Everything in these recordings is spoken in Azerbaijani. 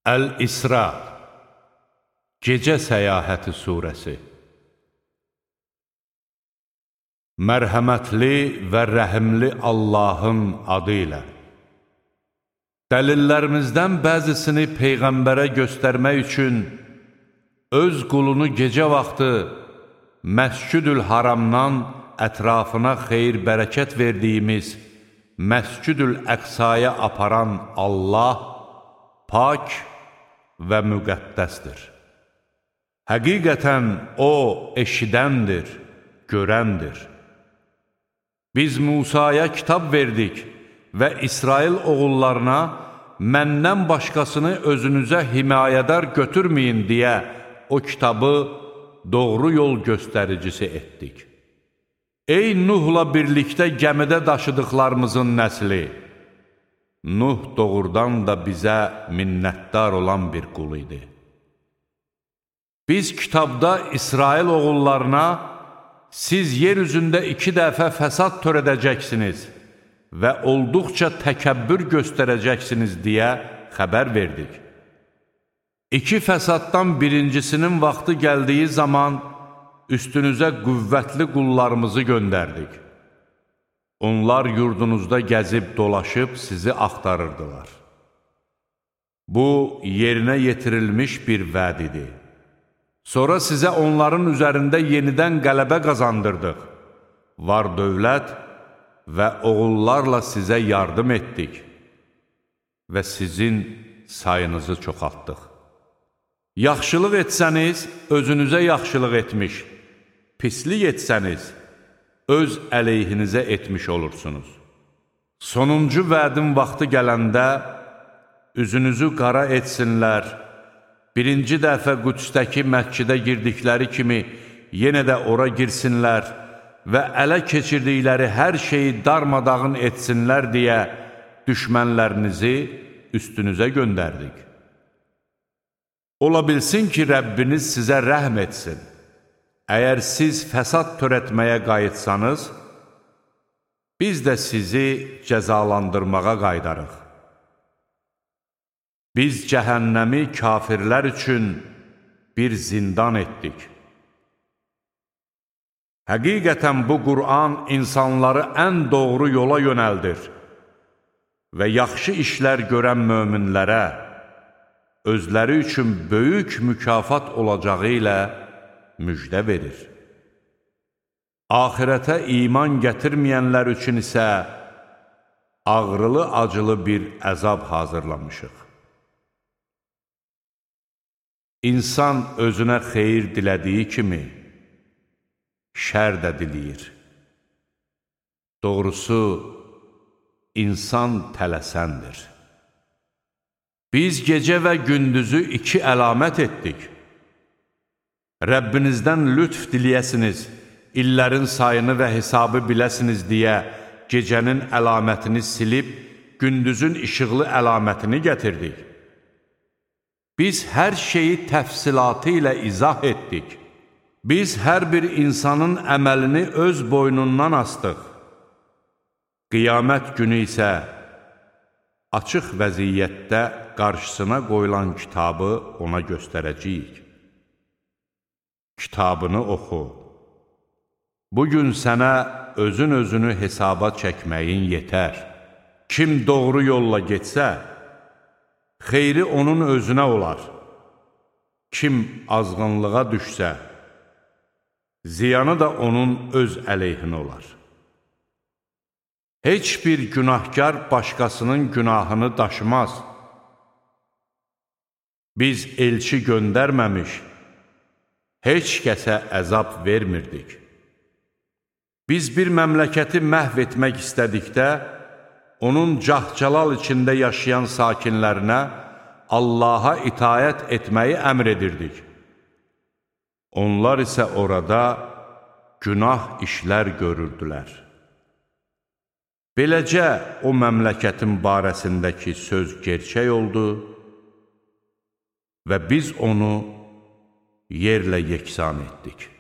Əl-İsra Gecə Səyahəti Surəsi Mərhəmətli və rəhimli Allahın adı ilə Dəlillərimizdən bəzisini Peyğəmbərə göstərmək üçün öz qulunu gecə vaxtı Məscüdül Haramdan ətrafına xeyir-bərəkət verdiyimiz Məscüdül Əqsaya aparan Allah pak və müqəddəsdir. Həqiqətən O eşidəndir, görəndir. Biz Musaya kitab verdik və İsrail oğullarına məndən başqasını özünüzə himayədar götürməyin deyə o kitabı doğru yol göstəricisi etdik. Ey Nuhla birlikdə gəmidə daşıdıqlarımızın nəsli! Nuh doğrudan da bizə minnətdar olan bir qul idi. Biz kitabda İsrail oğullarına siz yer üzündə 2 dəfə fəsad törədəcəksiniz və olduqca təkəbbür göstərəcəksiniz deyə xəbər verdik. 2 fəsaddan birincisinin vaxtı gəldiyi zaman üstünüzə qüvvətli qullarımızı göndərdik. Onlar yurdunuzda gəzib dolaşıb sizi axtarırdılar. Bu, yerinə yetirilmiş bir vəd idi. Sonra sizə onların üzərində yenidən qələbə qazandırdıq. Var dövlət və oğullarla sizə yardım etdik və sizin sayınızı çoxaltdıq. Yaxşılıq etsəniz, özünüzə yaxşılıq etmiş, pislik etsəniz, öz əleyhinizə etmiş olursunuz. Sonuncu vədin vaxtı gələndə, üzünüzü qara etsinlər, birinci dəfə Qüdsdəki məscidə girdikləri kimi yenə də ora girsinlər və ələ keçirdikləri hər şeyi darmadağın etsinlər deyə düşmənlərinizi üstünüzə göndərdik. Ola bilsin ki, Rəbbiniz sizə rəhm etsin. Əgər siz fəsad törətməyə qayıtsanız, biz də sizi cəzalandırmağa qaydarıq. Biz cəhənnəmi kafirlər üçün bir zindan etdik. Həqiqətən bu Qur'an insanları ən doğru yola yönəldir və yaxşı işlər görən möminlərə özləri üçün böyük mükafat olacağı ilə müjdə verir. Axirətə iman gətirməyənlər üçün isə ağrılı-acılı bir əzab hazırlamışıq. İnsan özünə xeyir dilədiyi kimi şər də diləyir. Doğrusu, insan tələsəndir. Biz gecə və gündüzü 2 əlamət etdik. Rəbbinizdən lütf diləyəsiniz, illərin sayını və hesabı biləsiniz deyə gecənin əlamətini silib, gündüzün işıqlı əlamətini gətirdik. Biz hər şeyi təfsilatı ilə izah etdik. Biz hər bir insanın əməlini öz boynundan astıq. Qiyamət günü isə açıq vəziyyətdə qarşısına qoyulan kitabı ona göstərəcəyik. Kitabını oxu. Bugün sənə özünü hesaba çəkməyin yetər. Kim doğru yolla getsə, xeyri onun özünə olar. Kim azğınlığa düşsə, ziyanı da onun öz əleyhinə olar. Heç bir günahkar başqasının günahını daşımaz. Biz elçi göndərməmiş, heç kəsə əzab vermirdik. Biz bir məmləkəti məhv etmək istədikdə, onun cah-calal içində yaşayan sakinlərinə Allaha itayət etməyi əmr edirdik. Onlar isə orada günah işlər görürdülər. Beləcə, o məmləkətin barəsindəki söz gerçək oldu və biz onu yerlə yeksan etdik.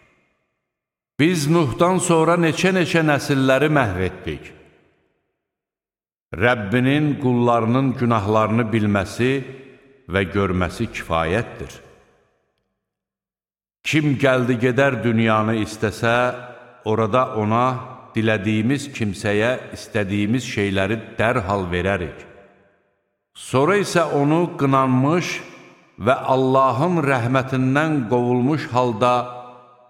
Biz Nuhdan sonra neçə-neçə nəsilləri məhv etdik. Rəbbinin qullarının günahlarını bilməsi və görməsi kifayətdir. Kim gəldi gedər dünyanı istəsə, orada ona dilədiyimiz kimsəyə istədiyimiz şeyləri dərhal verərik. Sonra isə onu qınanmış və Allahın rəhmətindən qovulmuş halda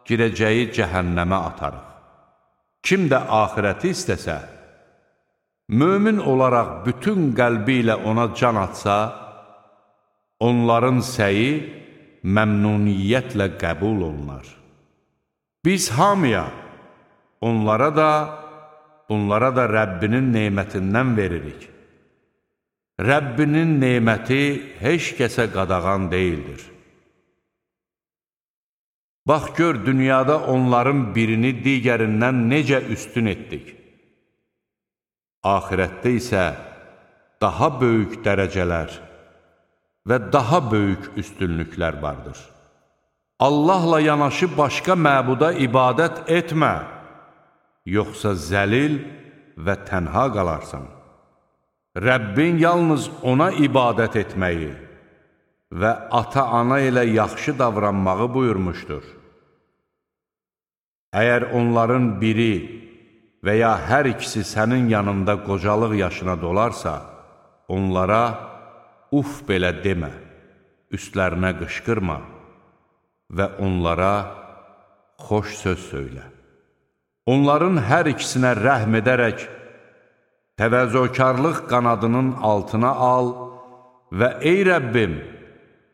girəcəyi cəhənnəmə atarıq. Kim də axirəti istəsə, mömin olaraq bütün qəlbi ilə ona can atsa, onların səyi məmnuniyyətlə qəbul olunar. Biz hamıya, onlara da, bunlara da Rəbbinin nemətindən veririk. Rəbbinin neməti heç kəsə qadağan deyildir. Bax gör, dünyada onların birini digərindən necə üstün etdik. Axirətdə isə daha böyük dərəcələr və daha böyük üstünlüklər vardır. Allahla yanaşı başqa məbuda ibadət etmə, yoxsa zəlil və tənha qalarsan. Rəbbin yalnız ona ibadət etməyi və ata-ana ilə yaxşı davranmağı buyurmuşdur. Əgər onların biri və ya hər ikisi sənin yanında qocalıq yaşına dolarsa, onlara uf belə demə, üstlərinə qışqırma və onlara xoş söz söylə. Onların hər ikisinə rəhm edərək, təvəzzökarlıq qanadının altına al və ey Rəbbim,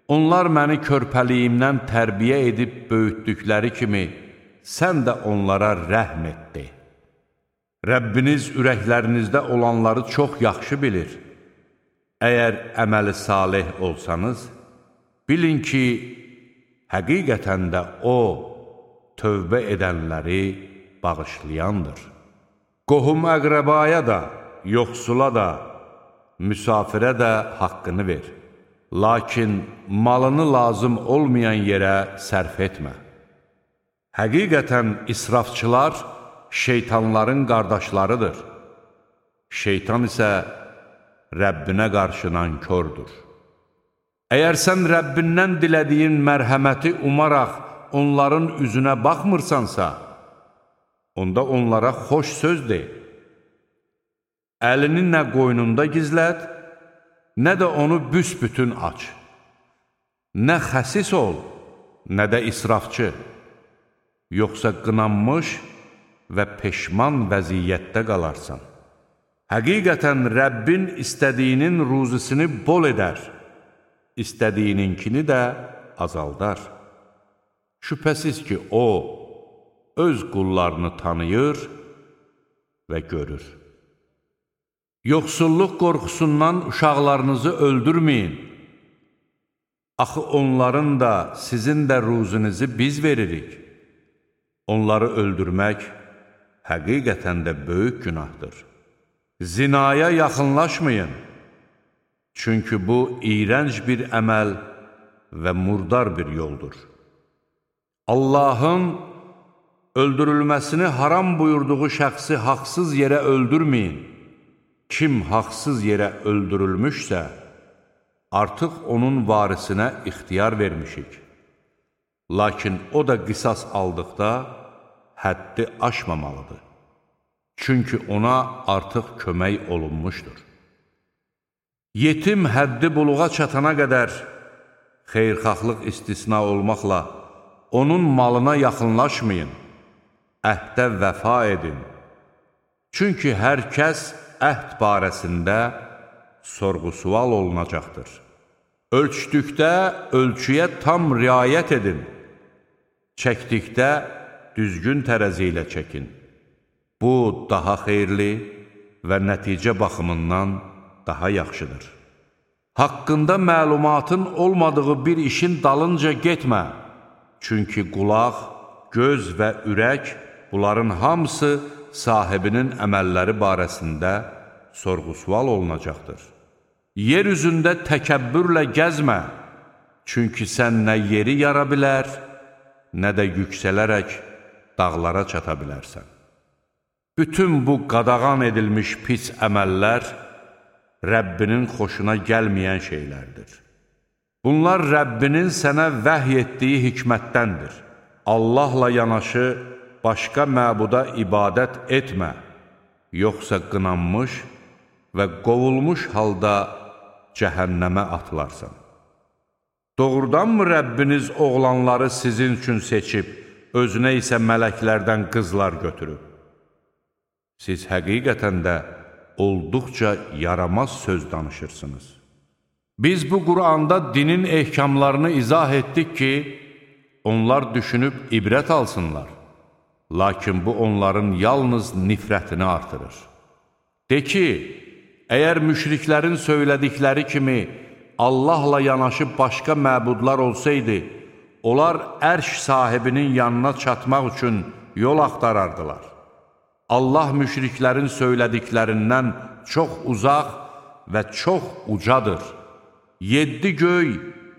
onlar məni körpəliyimdən tərbiyə edib böyütdükləri kimi, sən də onlara rəhm etdi. Rəbbiniz ürəklərinizdə olanları çox yaxşı bilir. Əgər əməli salih olsanız, bilin ki, həqiqətən də O, tövbə edənləri bağışlayandır. Qohum əqrəbaya da, yoxsula da, müsafirə də haqqını ver. Lakin malını lazım olmayan yerə sərf etmə. Həqiqətən israfçılar şeytanların qardaşlarıdır. Şeytan isə Rəbbinə qarşı nankördür. Əgər sən Rəbbindən dilədiyin mərhəməti umaraq onların üzünə baxmırsansa, onda onlara xoş söz de. Əlini nə qoynunda gizlət, nə də onu büsbütün aç. Nə xəsis ol, nə də israfçı, yoxsa qınanmış və peşman vəziyyətdə qalarsan. Həqiqətən Rəbbin istədiyinin ruzisini bol edər, istədiyininkini də azaldar. Şübhəsiz ki, O, öz qullarını tanıyır və görür. Yoxsulluq qorxusundan uşaqlarınızı öldürməyin. Axı onların da, sizin də ruzinizi biz veririk. Onları öldürmək həqiqətən də böyük günahdır. Zinaya yaxınlaşmayın, çünki bu iyrənc bir əməl və murdar bir yoldur. Allahın öldürülməsini haram buyurduğu şəxsi haqsız yerə öldürməyin. Kim haqsız yerə öldürülmüşsə, artıq onun varisinə ixtiyar vermişik. Lakin o da qisas aldıqda həddi aşmamalıdır. Çünki ona artıq kömək olunmuşdur. Yetim həddi buluğa çatana qədər xeyirxahlıq istisna olmaqla onun malına yaxınlaşmayın, əhdə vəfa edin. Çünki hər kəs əhd barəsində sorğu-sual olunacaqdır. Ölçdükdə ölçüyə tam riayət edin. Çəkdikdə düzgün tərəzi ilə çəkin. Bu, daha xeyirli və nəticə baxımından daha yaxşıdır. Haqqında məlumatın olmadığı bir işin dalınca getmə. Çünki qulaq, göz və ürək, bunların hamısı sahibinin əməlləri barəsində sorğu-sual olunacaqdır. Yer üzündə təkəbbürlə gəzmə, çünki sən nə yeri yara bilər, nə də yüksələrək dağlara çata bilərsən. Bütün bu qadağan edilmiş pis əməllər Rəbbinin xoşuna gəlməyən şeylərdir. Bunlar Rəbbinin sənə vəhy etdiyi hikmətdəndir. Allahla yanaşı başqa məbuda ibadət etmə, yoxsa qınanmış və qovulmuş halda cəhənnəmə atılarsan. Doğrudanmı Rəbbiniz oğlanları sizin üçün seçib, özünə isə mələklərdən qızlar götürüb? Siz həqiqətən də olduqca yaramaz söz danışırsınız. Biz bu Quranda dinin ehkamlarını izah etdik ki, onlar düşünüb ibrət alsınlar. Lakin bu onların yalnız nifrətini artırır. De ki, əgər müşriklərin söylədikləri kimi Allahla yanaşı başqa məbudlar olsaydı, onlar ərş sahibinin yanına çatmaq üçün yol axtarardılar. Allah müşriklərin söylədiklərindən çox uzaq və çox ucadır. 7 göy,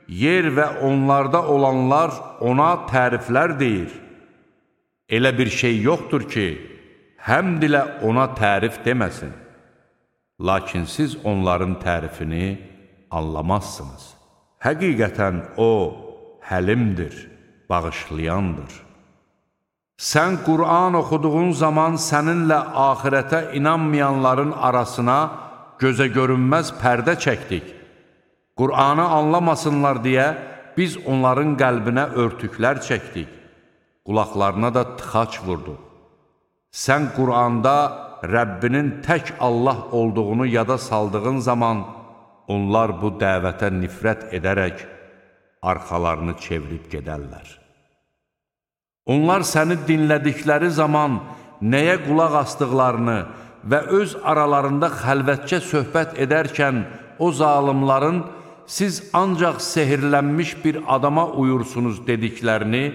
yer və onlarda olanlar ona təriflər deyir. Elə bir şey yoxdur ki, həmd ilə ona tərif deməsin. Lakin siz onların tərifini anlamazsınız. Həqiqətən o, həlimdir, bağışlayandır. Sən Qur'an oxuduğun zaman səninlə axirətə inanmayanların arasına gözə görünməz pərdə çəkdik. Qur'anı anlamasınlar deyə biz onların qəlbinə örtüklər çəkdik. Qulaqlarına da tıxac vurduq. Sən Qur'anda Rəbbinin tək Allah olduğunu yada saldığın zaman, onlar bu dəvətə nifrət edərək arxalarını çevirib gedərlər. Onlar səni dinlədikləri zaman nəyə qulaq asdıqlarını və öz aralarında xəlvətcə söhbət edərkən o zalimların siz ancaq sehirlənmiş bir adama uyursunuz dediklərini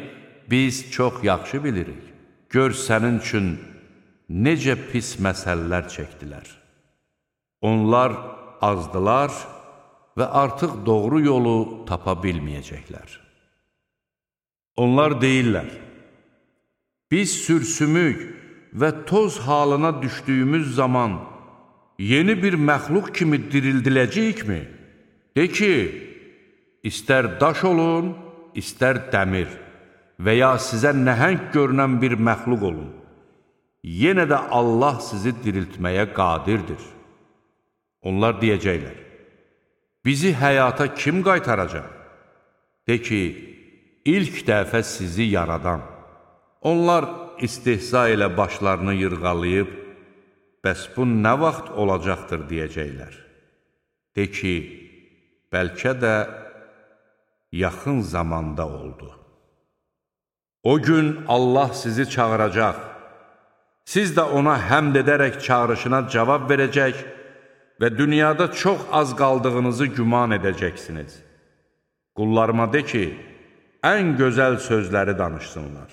biz çox yaxşı bilirik. Gör sənin üçün necə pis məsələlər çəkdilər. Onlar azdılar və artıq doğru yolu tapa bilməyəcəklər. Onlar deyirlər, biz sürsümük və toz halına düşdüyümüz zaman yeni bir məxluq kimi dirildiləcəyikmi? De ki, istər daş olun, istər dəmir və ya sizə nəhəng görünən bir məxluq olun. Yenə də Allah sizi diriltməyə qadirdir. Onlar deyəcəklər, bizi həyata kim qaytaracaq? De ki, ilk dəfə sizi yaradan. Onlar istehza ilə başlarını yırğalayıb, bəs bu nə vaxt olacaqdır deyəcəklər. De ki, bəlkə də yaxın zamanda oldu. O gün Allah sizi çağıracaq, siz də ona həmd edərək çağırışına cavab verəcək və dünyada çox az qaldığınızı güman edəcəksiniz. Qullarıma de ki, ən gözəl sözləri danışsınlar.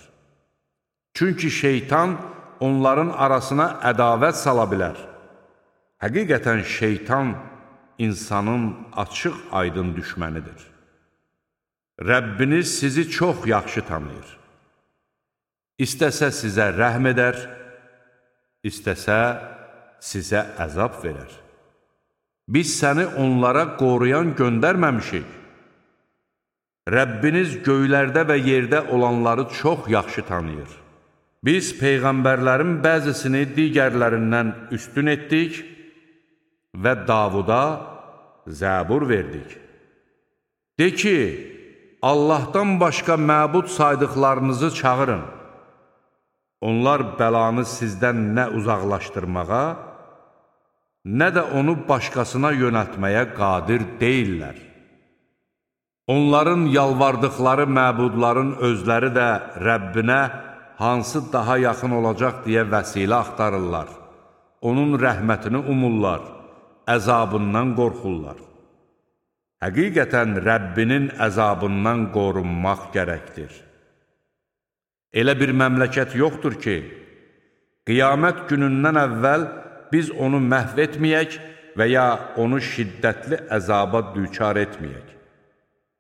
Çünki şeytan onların arasına ədavət sala bilər. Həqiqətən şeytan insanın açıq aydın düşmənidir. Rəbbiniz sizi çox yaxşı tanıyır. İstəsə sizə rəhm edər, istəsə sizə əzab verər. Biz səni onlara qoruyan göndərməmişik. Rəbbiniz göylərdə və yerdə olanları çox yaxşı tanıyır. Biz peyğəmbərlərin bəzisini digərlərindən üstün etdik və Davuda zəbur verdik. De ki, Allahdan başqa məbud saydıqlarınızı çağırın. Onlar bəlanı sizdən nə uzaqlaşdırmağa, nə də onu başqasına yönəltməyə qadir deyillər. Onların yalvardıqları məbudların özləri də Rəbbinə hansı daha yaxın olacaq deyə vəsilə axtarırlar. Onun rəhmətini umurlar, əzabından qorxurlar. Həqiqətən Rəbbinin əzabından qorunmaq gərəkdir. Elə bir məmləkət yoxdur ki, qiyamət günündən əvvəl biz onu məhv etməyək və ya onu şiddətli əzaba düçar etməyək.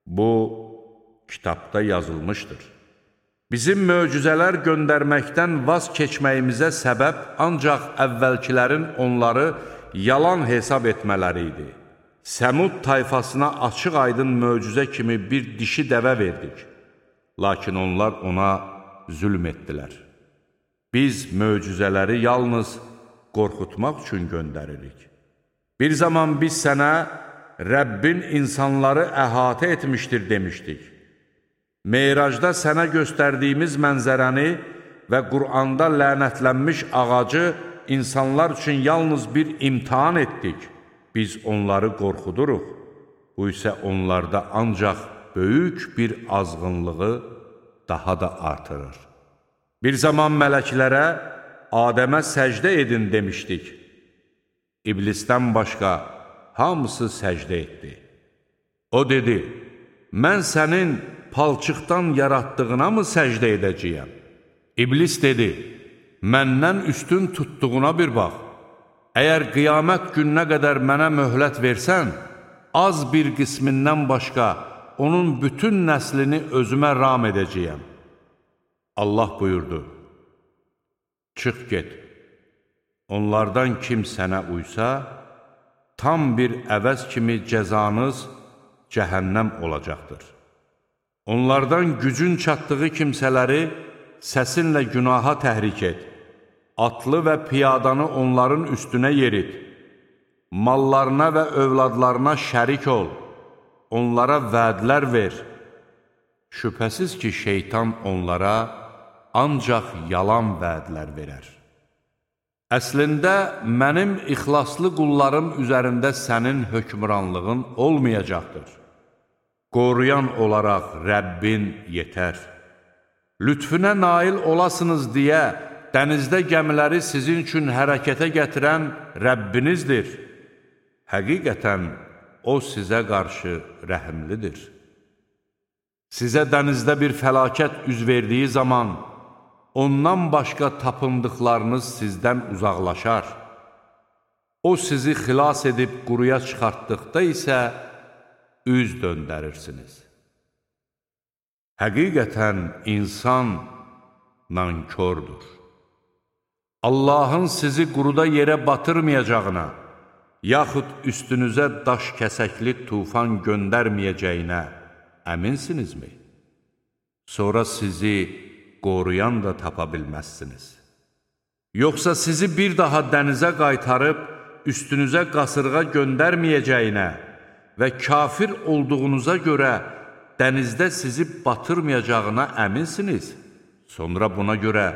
Bu, kitabda yazılmışdır. Bizim möcüzələr göndərməkdən vaz keçməyimizə səbəb ancaq əvvəlkilərin onları yalan hesab etmələri idi. Səmud tayfasına açıq-aydın möcüzə kimi bir dişi dəvə verdik. Lakin onlar ona zülm etdilər. Biz möcüzələri yalnız qorxutmaq üçün göndəririk. Bir zaman biz sənə Rəbbin insanları əhatə etmişdir demişdik. Meyracda sənə göstərdiyimiz mənzərəni və Qur'anda lənətlənmiş ağacı insanlar üçün yalnız bir imtahan etdik. Biz onları qorxuduruq. Bu isə onlarda ancaq böyük bir azğınlığı daha da artırır. Bir zaman mələklərə Adəmə səcdə edin demişdik. İblisdən başqa hamısı səcdə etdi. O dedi, mən sənin palçıqdan yaratdığına mı səcdə edəcəyəm? İblis dedi, məndən üstün tutduğuna bir bax. Əgər qiyamət gününə qədər mənə möhlət versən, az bir qismindən başqa onun bütün nəslini özümə ram edəcəyəm. Allah buyurdu, çıx get. Onlardan kim sənə uysa, tam bir əvəz kimi cəzanız cəhənnəm olacaqdır. Onlardan gücün çatdığı kimsələri səsinlə günaha təhrik et. Atlı və piyadanı onların üstünə yerit. Mallarına və övladlarına şərik ol. Onlara vədlər ver. Şübhəsiz ki, şeytan onlara ancaq yalan vədlər verər. Əslində, mənim ixlaslı qullarım üzərində sənin hökmranlığın olmayacaqdır. Qoruyan olaraq Rəbbin yetər. Lütfünə nail olasınız deyə dənizdə gəmiləri sizin üçün hərəkətə gətirən Rəbbinizdir. Həqiqətən, O sizə qarşı rəhimlidir. Sizə dənizdə bir fəlakət üz verdiyi zaman, ondan başqa tapındıqlarınız sizdən uzaqlaşar. O sizi xilas edib quruya çıxartdıqda isə üz döndərirsiniz. Həqiqətən, insan nankördür. Allahın sizi quruda yerə batırmayacağına, yaxud üstünüzə daş kəsəkli tufan göndərməyəcəyinə əminsinizmi? Sonra sizi qoruyan da tapa bilməzsiniz. Yoxsa sizi bir daha dənizə qaytarıb, üstünüzə qasırğa göndərməyəcəyinə və kafir olduğunuza görə dənizdə sizi batırmayacağına əminsiniz? Sonra buna görə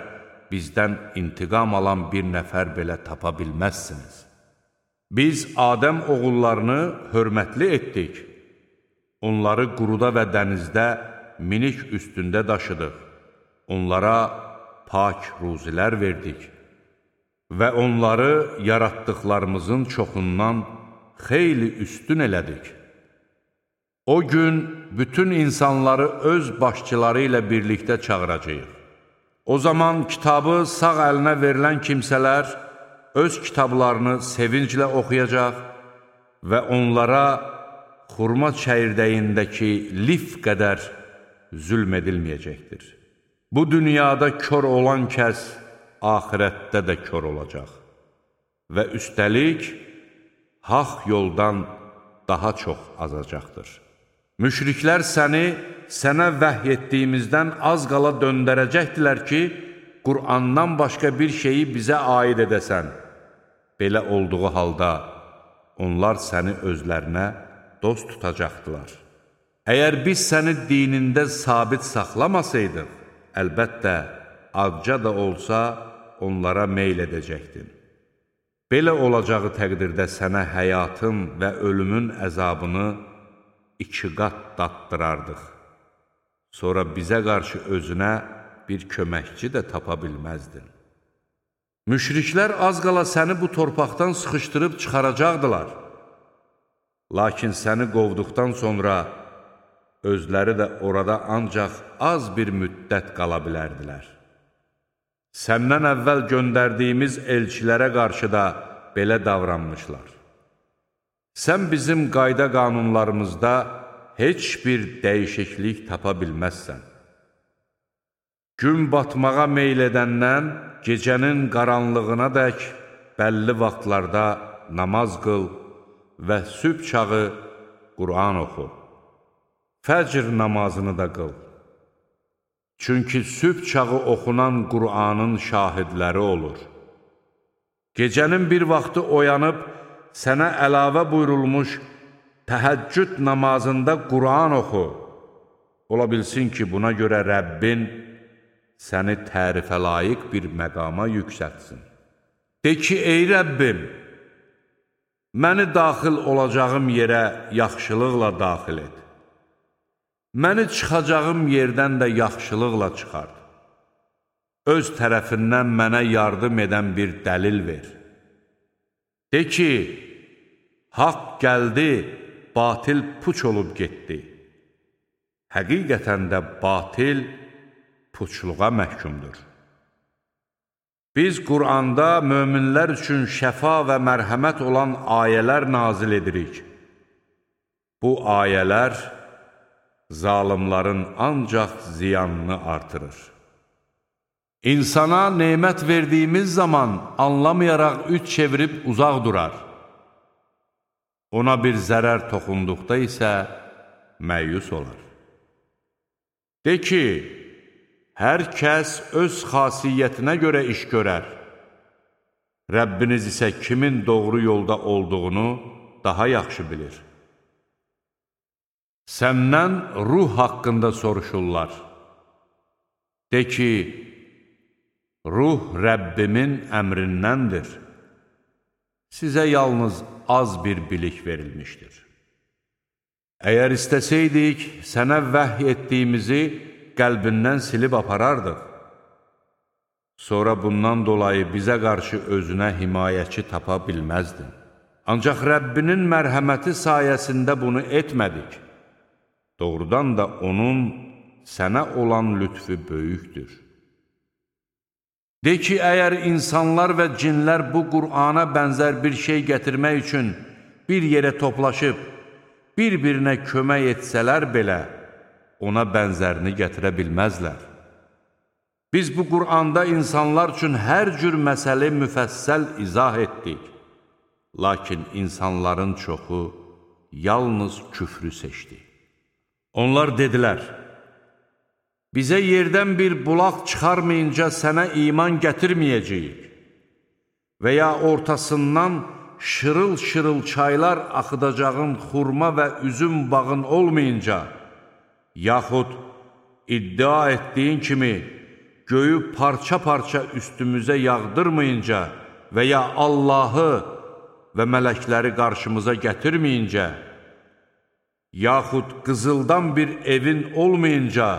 bizdən intiqam alan bir nəfər belə tapa bilməzsiniz. Biz Adəm oğullarını hörmətli etdik. Onları quruda və dənizdə minik üstündə daşıdıq. Onlara pak ruzilər verdik və onları yaratdıqlarımızın çoxundan xeyli üstün elədik. O gün bütün insanları öz başçıları ilə birlikdə çağıracağıq. O zaman kitabı sağ əlinə verilən kimsələr öz kitablarını sevinclə oxuyacaq və onlara xurma çəyirdəyindəki lif qədər zülm edilməyəcəkdir. Bu dünyada kör olan kəs axirətdə də kör olacaq və üstəlik haqq yoldan daha çox azacaqdır. Müşriklər sənə vəhy etdiyimizdən az qala döndərəcəkdilər ki, Qur'andan başqa bir şeyi bizə aid edəsən. Belə olduğu halda onlar səni özlərinə dost tutacaqdılar. Əgər biz səni dinində sabit saxlamasaydıq, əlbəttə, azca da olsa onlara meyl edəcəkdin. Belə olacağı təqdirdə sənə həyatın və ölümün əzabını 2 qat daddırardıq. Sonra bizə qarşı özünə bir köməkçi də tapa bilməzdin. Müşriklər az qala səni bu torpaqdan sıxışdırıb çıxaracaqdılar. Lakin səni qovduqdan sonra özləri də orada ancaq az bir müddət qala bilərdilər. Səndən əvvəl göndərdiyimiz elçilərə qarşı da belə davranmışlar. Sən bizim qayda qanunlarımızda heç bir dəyişiklik tapa bilməzsən. Gün batmağa meyl edəndən gecənin qaranlığına dək bəlli vaxtlarda namaz qıl və sübh çağı Qur'an oxu. Fəcr namazını da qıl. Çünki sübh çağı oxunan Qur'anın şahidləri olur. Gecənin bir vaxtı oyanıb, sənə əlavə buyurulmuş təhəccüd namazında Qur'an oxu. Ola bilsin ki, buna görə Rəbbin səni tərifə layiq bir məqama yüksətsin. De ki, ey Rəbbim, məni daxil olacağım yerə yaxşılıqla daxil et. Məni çıxacağım yerdən də yaxşılıqla çıxart. Öz tərəfindən mənə yardım edən bir dəlil ver. De ki, haqq gəldi, batil puç olub getdi. Həqiqətən də batil puçluğa məhkumdur. Biz Qur'anda möminlər üçün şəfa və mərhəmət olan ayələr nazil edirik. Bu ayələr zalimların ancaq ziyanını artırır. İnsana nemət verdiyimiz zaman anlamayaraq üç çevirib uzaq durar. Ona bir zərər toxunduqda isə məyus olar. De ki, hər kəs öz xasiyyətinə görə iş görər. Rəbbiniz isə kimin doğru yolda olduğunu daha yaxşı bilir. Səndən ruh haqqında soruşurlar. De ki, ruh Rəbbimin əmrindəndir. Sizə yalnız az bir bilik verilmişdir. Əgər istəsəydik, sənə vəhy etdiyimizi qəlbindən silib aparardıq. Sonra bundan dolayı bizə qarşı özünə himayəçi tapa bilməzdin. Ancaq Rəbbinin mərhəməti sayəsində bunu etmədik. Doğrudan da onun sənə olan lütfü böyükdür. De ki, əgər insanlar və cinlər bu Qur'ana bənzər bir şey gətirmək üçün bir yerə toplaşıb, bir-birinə kömək etsələr belə, ona bənzərini gətirə bilməzlər. Biz bu Qur'anda insanlar üçün hər cür məsələ müfəssəl izah etdik. Lakin insanların çoxu yalnız küfrü seçdi. Onlar dedilər, bizə yerdən bir bulaq çıxarmayınca sənə iman gətirməyəcəyik və ya ortasından şırıl-şırıl çaylar axıdacağın xurma və üzüm bağın olmayınca, yaxud iddia etdiyin kimi göyü parça-parça üstümüzə yağdırmayınca və ya Allahı və mələkləri qarşımıza gətirməyincə, yaxud qızıldan bir evin olmayınca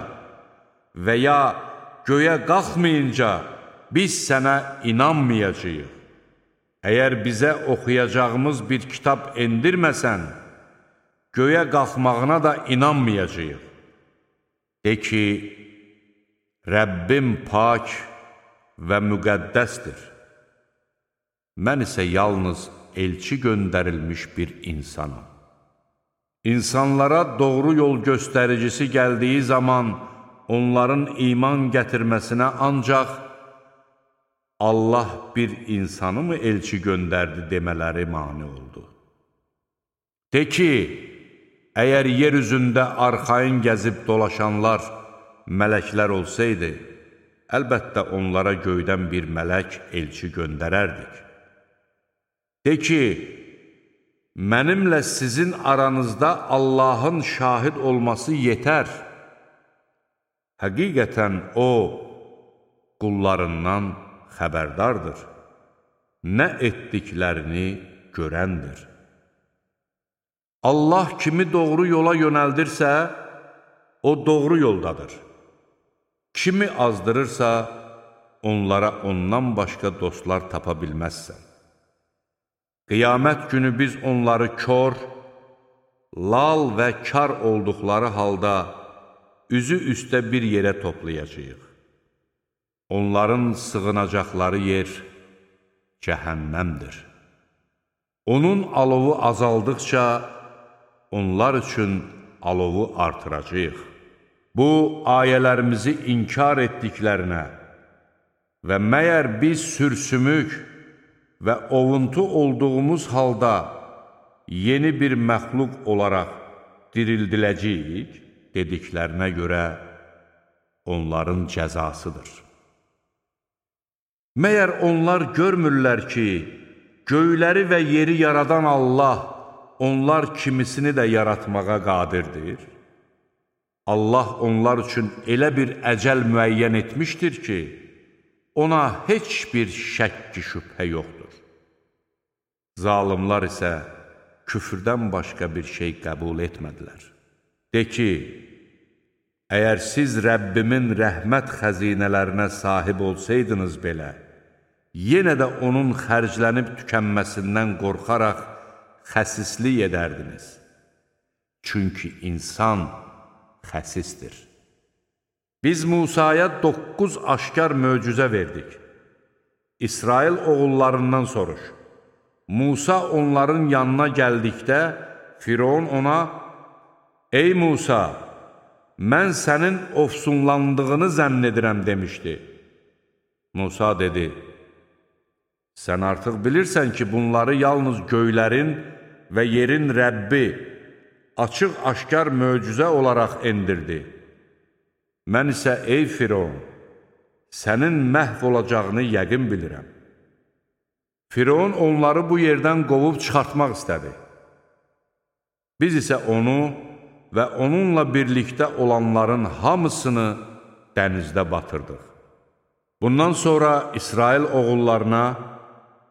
və ya göyə qalxmayınca biz sənə inanmayacağıq. Əgər bizə oxuyacağımız bir kitab endirməsən, göyə qalxmağına da inanmayacağıq. De ki, Rəbbim pak və müqəddəsdir. Mən isə yalnız elçi göndərilmiş bir insanım. İnsanlara doğru yol göstəricisi gəldiyi zaman onların iman gətirməsinə ancaq Allah bir insanı mı elçi göndərdi demələri mane oldu. De ki, əgər yer üzündə arxayın gəzib dolaşanlar mələklər olsaydı, əlbəttə onlara göydən bir mələk elçi göndərərdik. De ki, mənimlə sizin aranızda Allahın şahid olması yetər. Həqiqətən O, qullarından xəbərdardır, nə etdiklərini görəndir. Allah kimi doğru yola yönəldirsə, o doğru yoldadır. Kimi azdırırsa, onlara ondan başqa dostlar tapa bilməzsən. Qiyamət günü biz onları kör, lal və kar olduqları halda üzü üstə bir yerə toplayacağıq. Onların sığınacaqları yer cəhənnəmdir. Onun alovu azaldıqca onlar üçün alovu artıracağıq. Bu, ayələrimizi inkar etdiklərinə və məyər biz sürsümük və ovuntu olduğumuz halda yeni bir məxluq olaraq dirildiləcəyik dediklərinə görə onların cəzasıdır. Məyər onlar görmürlər ki, göyləri və yeri yaradan Allah onlar kimisini də yaratmağa qadirdir? Allah onlar üçün elə bir əcəl müəyyən etmişdir ki, ona heç bir şəkki şübhə yoxdur. Zalimlar isə küfrdən başqa bir şey qəbul etmədilər. De ki, əgər siz Rəbbimin rəhmət xəzinələrinə sahib olsaydınız belə, yenə də onun xərclənib tükənməsindən qorxaraq xəsislik edərdiniz. Çünki insan xəsisdir. Biz Musaya 9 aşkar möcüzə verdik. İsrail oğullarından soruş. Musa onların yanına gəldikdə, Firon ona, "Ey Musa, mən sənin ofsunlandığını zənn edirəm" demişdi. Musa dedi, "Sən artıq bilirsən ki, bunları yalnız göylərin və yerin Rəbbi açıq-aşkar möcüzə olaraq endirdi. Mən isə, ey Firon, sənin məhv olacağını yəqin bilirəm." Firon onları bu yerdən qovub çıxartmaq istədi. Biz isə onu və onunla birlikdə olanların hamısını dənizdə batırdıq. Bundan sonra İsrail oğullarına,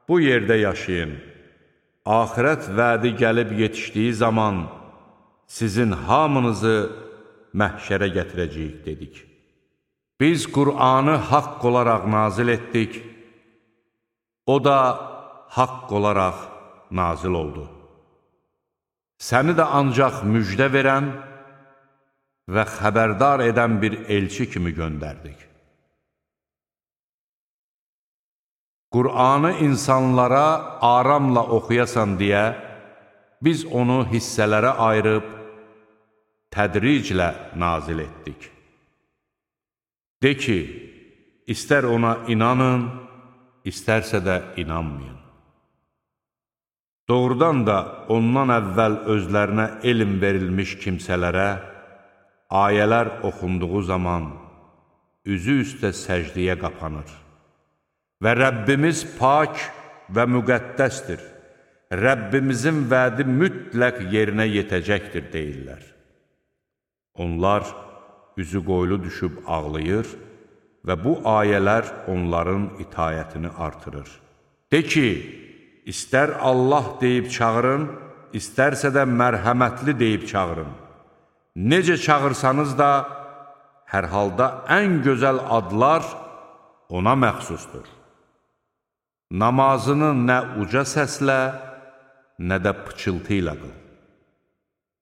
bu yerdə yaşayın, axirət vədi gəlib yetişdiyi zaman sizin hamınızı məhşərə gətirəcəyik dedik. Biz Qur'anı haqq olaraq nazil etdik, o da haqq olaraq nazil oldu. Səni də ancaq müjdə verən və xəbərdar edən bir elçi kimi göndərdik. Qur'anı insanlara aramla oxuyasan deyə, biz onu hissələrə ayırıb, tədriclə nazil etdik. De ki, istər ona inanın, istərsə də inanmayın. Doğrudan da ondan əvvəl özlərinə elm verilmiş kimsələrə, ayələr oxunduğu zaman üzü üstə səcdiyə qapanır. Və Rəbbimiz pak və müqəddəsdir. Rəbbimizin vədi mütləq yerinə yetəcəkdir deyirlər. Onlar üzü qoylu düşüb ağlayır və bu ayələr onların itayətini artırır. De ki, istər Allah deyib çağırın, istərsə də mərhəmətli deyib çağırın. Necə çağırsanız da, hər halda ən gözəl adlar ona məxsusdur. Namazını nə uca səslə, nə də pıçıltı ilə qıl.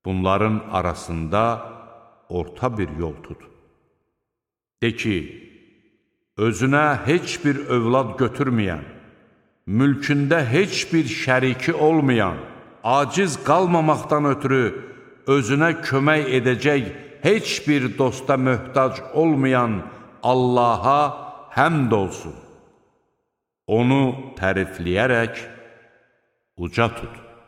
Bunların arasında orta bir yol tut. De ki, özünə heç bir övlad götürməyən, mülkündə heç bir şəriki olmayan, aciz qalmamaqdan ötürü özünə kömək edəcək heç bir dosta möhtac olmayan Allaha həmd olsun. Onu tərifləyərək uca tut.